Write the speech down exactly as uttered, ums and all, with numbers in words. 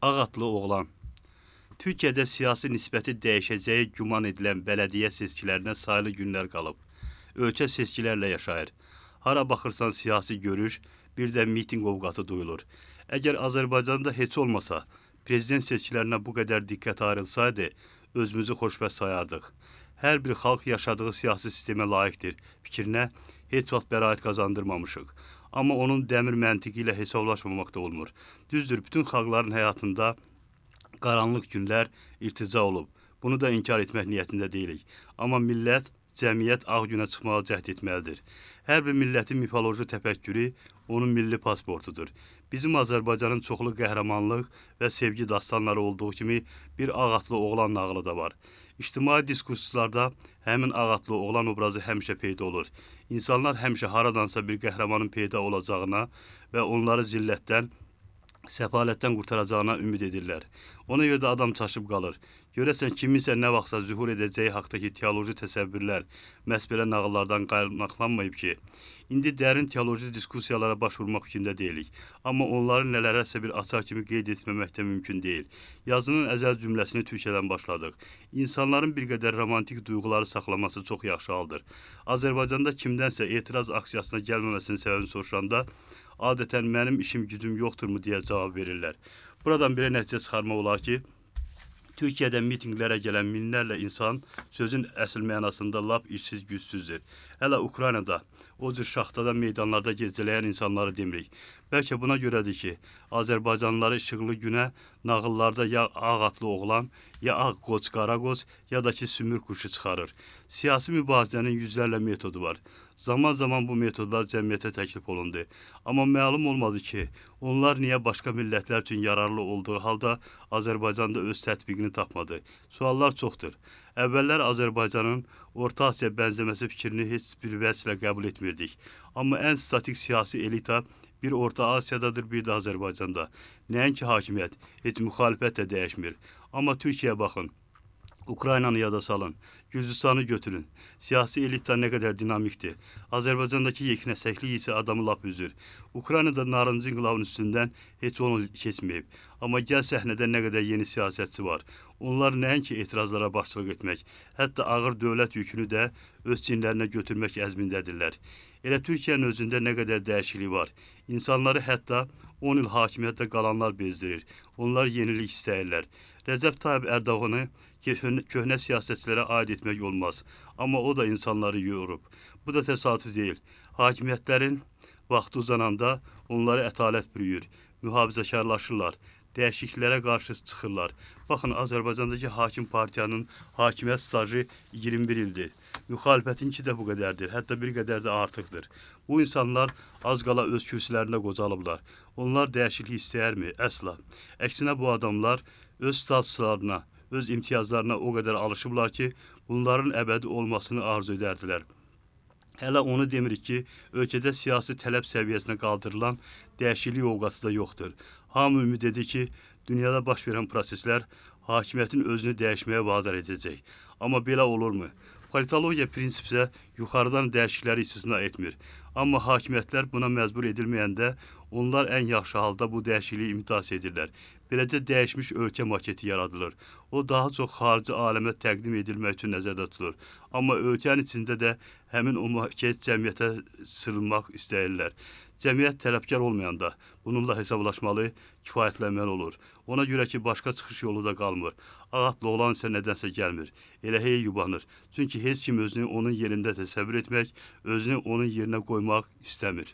Ağatlı oğlan. Türkiyədə siyasi nisbəti dəyişəcəyi güman edilən bələdiyyə seçkilərinə sayılı günlər qalıb. Ölkə seçkilərlə yaşayır. Hara baxırsan siyasi görüş, bir də miting ovqatı duyulur. Əgər Azərbaycanda heç olmasa, prezident seçkilərinə bu qədər diqqət ayrılsaydı, özümüzü xoşbəxt sayardıq. Hər bir xalq yaşadığı siyasi sistemə layiqdir fikrinə heç vaxt bəraət qazandırmamışıq. Amma onun dəmir məntiqi ilə hesablaşmamaq da olmur. Düzdür, bütün xalqların həyatında qaranlıq günlər irtica olub. Bunu da inkar etmək niyyətində deyilik. Amma millət, cəmiyyət ağ günə çıxmağa cəhd etməlidir. Hər bir millətin mifoloji təfəkkürü onun milli pasportudur. Bizim Azərbaycanın çoxlu qəhrəmanlıq və sevgi dastanları olduğu kimi bir ağatlı oğlan nağılı da var. İctimai diskurslarda həmin ağatlı oğlan obrazı həmişə peyda olur. İnsanlar həmişə haradansa bir qəhrəmanın peyda olacağına və onları zillətdən, səfalətdən qurtaracağına ümid edirlər. Ona görə də adam çaşıb qalır. Görəsən kiminsə nə vaxtsa zühur edəcəyi haqdakı teoloji təsəvvürlər məhz belə nağıllardan qaynaqlanmayıb ki, indi dərin teoloji diskussiyalara başvurmaq fikrində deyilik. Amma onları nələrəsə bir açar kimi qeyd etməmək də mümkün deyil. Yazının əzəl cümləsini Türkiyədən başladıq. İnsanların bir qədər romantik duyğuları saxlaması çox yaxşı haldır. Azərbaycanda kimdənsə etiraz aksiyasına gəlməməsinin səbəbini soruşanda adətən mənim işim gücüm yoxdurmu deyə cavab verirlər. Buradan bir nəticə çıxarmaq olar ki, Türkiyədə mitinqlərə gələn minlərlə insan sözün əsl mənasında lap işsiz gücsüzdür. Hələ Ukraynada o cür şaxtada meydanlarda gecələyən insanları demirik. Bəlkə buna görədir ki, Azərbaycanlıları işıqlı günə nağıllarda ya ağatlı oğlan, ya ağ qoç, qara qoç, ya da ki sümür quşu çıxarır. Siyasi mübarizənin yüzlərlə metodu var. Zaman zaman bu metodlar cəmiyyətə təklif olundu. Amma məlum olmadı ki, onlar niyə başqa millətlər üçün yararlı olduğu halda Azərbaycanda öz tətbiqini tapmadı. Suallar çoxdur. Əvvəllər Azərbaycanın Orta Asiya bənzəməsi fikrini heç bir vəslə qəbul etmirdik. Amma ən statik siyasi elita bir Orta Asiyadadır, bir də Azərbaycanda. Nəinki hakimiyyət, heç müxalifət də dəyişmir. Amma Türkiyəyə baxın. Ukraynanı yada salın, Gürcüstanı götürün. Siyasi elita nə qədər dinamikdir. Azərbaycandakı yeknəsəklik isə adamı lap üzür. Ukraynada narıncı inqilabın üstündən heç onu keçməyib. Amma gəl səhnədə nə qədər yeni siyasətçi var. Onlar nəinki etirazlara başçılıq etmək, hətta ağır dövlət yükünü də öz çinlərinə götürmək əzmindədirlər. Elə Türkiyənin özündə nə qədər dəyişiklik var. İnsanları hətta on il hakimiyyətdə qalanlar bezdirir. Onlar yenilik istəyirlər. Rəcəb Tayyip Ərdoğanı köhnə siyasətçilərə aid etmək olmaz. Amma o da insanları yorub. Bu da təsadüf deyil. Hakimiyyətlərin vaxtı uzananda onları ətalət bürüyür, mühafizəkarlaşırlar, dəyişikliklərə qarşı çıxırlar. Baxın, Azərbaycandakı hakim partiyanın hakimiyyət stajı iyirmi bir ildir. Müxalifətinki də bu qədərdir, hətta bir qədər də artıqdır. Bu insanlar az qala öz kürsülərində qocalıblar. Onlar dəyişiklik istəyərmi? Əsla. Əksinə bu adamlar öz statuslarına, öz imtiyazlarına o qədər alışıblar ki, bunların əbədi olmasını arzu edərdilər. Hələ onu demirik ki, ölkədə siyasi tələb səviyyəsinə qaldırılan dəyişiklik ovqatı da yoxdur. Hamı ümid edir ki, dünyada baş verən proseslər hakimiyyətin özünü dəyişməyə vadar edəcək. Amma belə olurmu? Politologiya prinsipsə yuxarıdan dəyişiklikləri istisna etmir. Amma hakimiyyətlər buna məcbur edilməyəndə onlar ən yaxşı halda bu dəyişikliyi imitasiya edirlər. Beləcə dəyişmiş ölkə maketi yaradılır. O daha çox xarici aləmə təqdim edilmək üçün nəzərdə tutulur. Amma ölkənin içində də həmin o maket cəmiyyətə sığınmaq istəyirlər. Cəmiyyət tələbkar olmayanda bununla hesablaşmalı, kifayətlənməli olur. Ona görə ki, başqa çıxış yolu da qalmır. Ağatlı olan isə nədənsə gəlmir. Elə hey yubanır. Çünki heç kim özünü onun yerində təsəvvür etmək, özünü onun yerinə qoymaq istəmir.